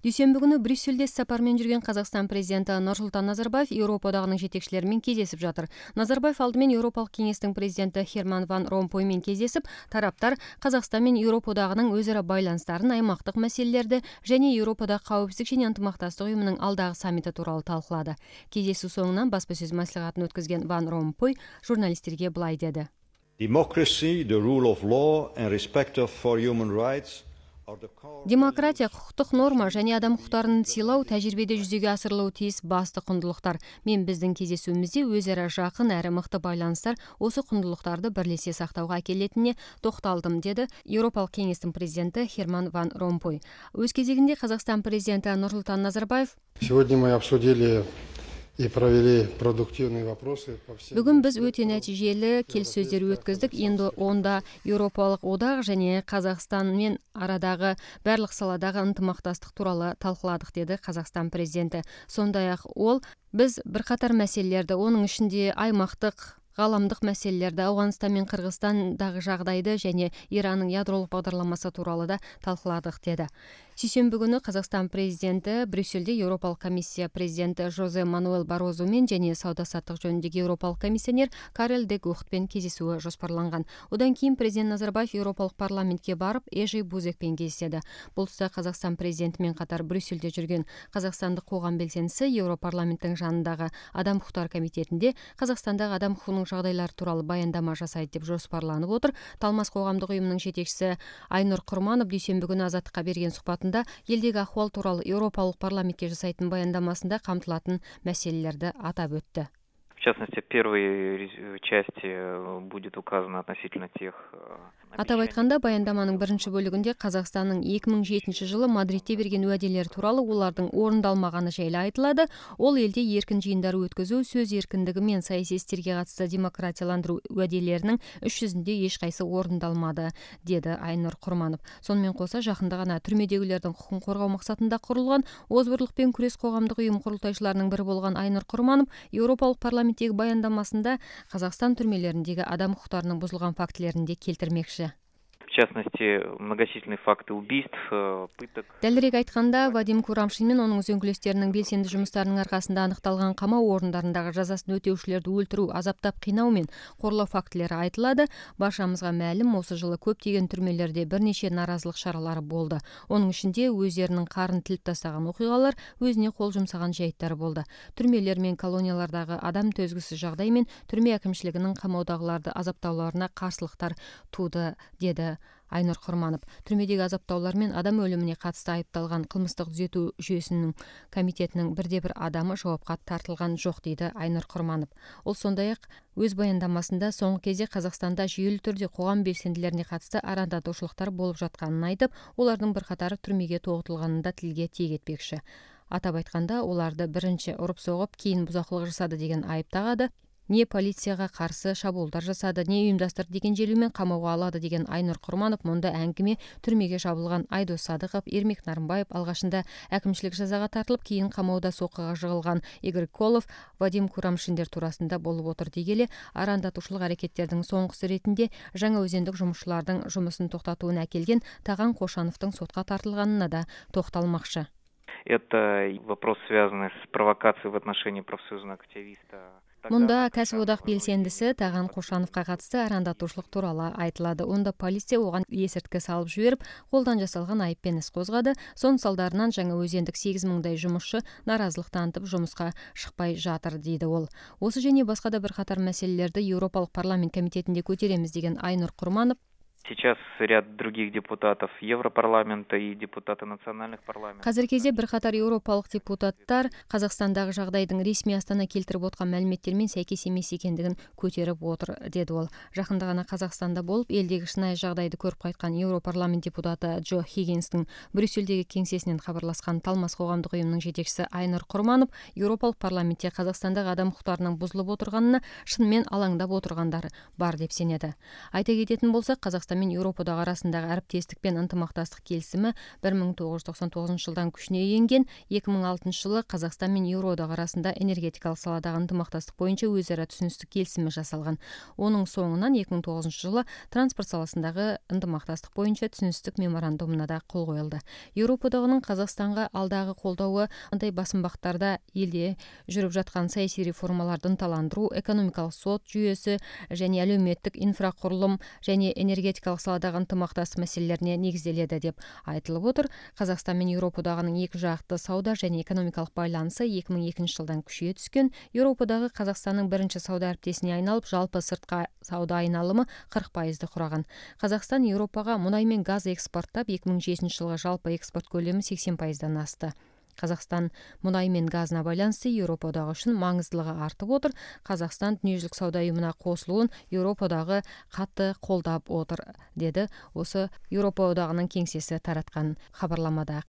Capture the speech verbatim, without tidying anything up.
Дүйсенбі күнү Брюссельде сапар менен жүрген Казакстан президенти Нурсултан Назарбаев Европадагынын жетекчилери менен кездесип жатыр. Назарбаев алды менен Европалык кеңештин президенти Херман ван Ромпой менен кездесип, тараптар Казакстан менен Европадагынын өз ара байланыштарын, аймактык маселелерди және Европадагы кауіпсіздік және ынтымактастык уюмунун алдагы саммити тууралуу талкуулады. Кездесүү соңунан баспасөз маслихатын өткөзгөн Ван Ромпой журналисттерге былай деди. Democracy, the rule of law and respect for human rights. Демократия, кукуктук норма және адам укуктарын сыйлоо тажрыйбеде жүзөгө асырылуу тийиз басты кундулуктар. Мен биздин кездесүүбүздө өз ара жакын әрі мыкты байланыштар осы кундулуктарды бирлесе сактауга акелетине токталдым, деди Европалык кеңештин президенти Херман ван Ромпой. Өз кезегинде Казакстан президенти Нурсултан Назарбаев Сегодня мы обсудили и провели продуктивные вопросы по всем. Бүгүн биз өтө натыйжелүү келиссөздөр өткөздүк. Эndi онда Европалык одак және Казакстан менен арадагы барлык саладагы ынтымактастык тууралуу талкууладык, деди Казакстан президенти. Сондай-ак ол биз бир катар маселелерди, онун ичинде аймактык, галамдык маселелерди, Ауганстан менен Кыргызстандагы жагдайды және Иранның ядролук багдарламасы тууралуу да талкууладык, деди. Сүйсөнбү күнү Казакстан президенти Брюссельде Европалык комиссия президенти Жозе Мануэл Барозу менен және сауда саттык жөнүндөгү Европалык комиссионер Карел де Гухт менен кездесүү жоспарланган. Одан кийин президент Назарбаев Европалык парламентке барып, Эжи Бузек менен кездешти. Бул туста Казакстан президенти менен катар Брюссельде жүргөн казакстандык коғам белсендиси Европарламенттин жанындагы Адам укуктары комитетинде Казакстандагы адам укугунун жагдайлары тууралуу баяндама жасайт деп жоспарланып отур. Талмас коомдук уюмунун жетекчиси Айнур Курманов дүйсөнбү күнү Азаттыкка берген сухбатында элдеги ахуал тууралуу Европалык парламентке жасайтын баяндамасында камтылатын маселелерди атап өттү. В частности, в первой части будет указано относительно тех. Атап айтканда, баяндаманын биринчи бөлүгүндө Казакстандын эки миң жетинчи жылы Мадридте берген уәделери тууралуу улардын орундалмаганы жайы айтылады. Ол элде эркин жыйындар өткөзүү, сөз эркиндиги менен саясий истерге катысты демократияландыруу уәделеринин үч жүзүндө эч кайсы орундалмады, деди Айнур Курманов. Сонун менен коса жакында гана түрмөдөгүлөрдүн укугун коргоо максатында курулган Озбурлукпен күрөш коомдук уюм курултайчыларынын бири болгон Айнур Курманов Европалык парламенттеги баяндамасында Казакстан түрмөлөрүндөгү адам укуктарынын бузулган фактилерин де келтирмекчи. В частности, многочисленные факты убийств, пыток. Дәлирээк айтканда, Вадим Курамшин менен онун өзөңгүлөстөрүнүн белсенди жумуштарынын аркасында аныкталган камоо орундарындагы жазасын өтөөчүлөрдү өлтүрүү, азаптап кыйноо менен корлоо фактилери айтылады. Башамызга маалым, осы жылы көптөгөн түрмөлөрдө бир нече нааразылык чаралары болду. Онун ичинде өздеринин карын тилип тастаган окуялар, өзүнө кол жумсаган жайттар болду. Түрмөлөр менен колониялардагы адам төзгүсүз жагдай менен түрмө акимчилигинин камоодагыларды азаптоолоруна каршылыктар тууду, деди Айнур Курманов. Түрмөдөгү азаптоолор менен адам өлүмүнө катысты айыпталган кылмыштык түзөтүү жүйөсүнүн комитетинин бирде бир адамы жоопко тартылган жок, дейди Айнур Курманов. Ол сондай-ак өз баяндамасында соңку кезде Казакстанда жүйөлүү түрдө коғам белсендилерине катысты арандатуучулуктар болуп жатканын айтып, олардын бир катары түрмөгө тогутулганын да тилге тиек этпекчи. Атап айтканда, оларды биринчи уруп согуп, кийин бузакулук жасады деген айып тагады. Не полицияга каршы шабуулдар жасады, не уюмдаштырды деген желүү менен камоого алады деген Айнур Курманов мында әңгиме түрмөгө жабылган Айдос Садыков, Эрмек Нарымбаев, алгашында акимчилик жазага тартылып, кийин камоодо соккуга жыгылган Игорь Колов, Вадим Курамшиндер туурасында болуп отур дегеле, арандатуучулук аракеттердин соңгусу ретинде Жаңа Өзөндүк жумушчулардын жумусун токтотууна әкелген Таган Кошановдун сотко тартылганына да токталмакчы. Это вопрос, связанный с провокацией в отношении профсоюзного активиста. Мында кәсип одак белсендиси Таган Кошановго катысты арандатуучулук тууралуу айтылады. Онда полиция оган эсертке салып жиберип, колдон жасалган айыппен ис козгады. Сонун салдарынан Жаңа Өзөндүк сегиз миңдай жумушчу нааразылык танытып жумуска шыкпай жатыр, дейди ол. Осы және башка да бир катар маселелерди Европалык парламент комитетинде көтеремиз деген Айнур Курманов Сейчас ряд других депутатов Европарламента и депутаты национальных парламентов. Казыр кезде бир катар европалык депутаттар Казакстандагы жагдайдын ресми Астана келтирип откан маалиметтер менен сайкес эмес экендигин көтөрүп отур, деди ол. Жакында гана Казакстанда болуп, элдеги шынайы жагдайды көрүп кайткан Европарламент депутаты Джо Хиггинстин Брюссельдеги кеңсесинен кабарласкан Талмас коомдук уюмунун жетекчиси Айнур Курманов Европалык парламентте Казакстандагы адам укуктарынын бузулуп отурганына шын менен алаңдап отургандар бар деп сенеди. Айта кететін болсак, Казакстан Казакстан менен Европа одағы арасындагы ариптештик пен ынтымакташтык келисими бир миң тогуз жүз токсон тогузунчу жылдан күчүнө энген. эки миң алтынчы жылы Казакстан менен Европа одағы арасында энергетикалык саладагы ынтымакташтык боюнча өз ара түшүнүктүк келисими жасалган. Онун соңунан эки миң тогузунчу жылы транспорт саласындагы ынтымакташтык боюнча түшүнүктүк меморандумуна да кол коюлду. Европа одагынын Казакстанга алдагы колдообу мындай басымбактарда элде жүрүп жаткан саясий реформаларды ынталандыруу, экономикалык сот жүйөсү және әлеуметтик инфракурулум және энергетикалык саладагы ынтымакташтык маселелерине негизделеді деп айтылып отур. Казакстан менен Европа одагынын эки жакты сауда және экономикалык байланышы эки миң экинчи жылдан күчөйө түшкөн. Европа одагы Казакстандын биринчи сауда ариптешине айналып, жалпы сырткы сауда айналымы кырк пайызды кураган. Казакстан Европага мунай менен газ экспорттап, эки миң жетинчи жылга жалпы экспорт көлөмү сексен пайыздан асты. Казакстан мунай менен газына байланыштуу Европа одагы үчүн маңыздылыгы артып отур. Казакстан Дүнүйүзүлүк сауда уюмуна кошулуун Европа одагы катты колдоп отур, деди осы Европа одагынын кеңсеси тараткан кабарламада.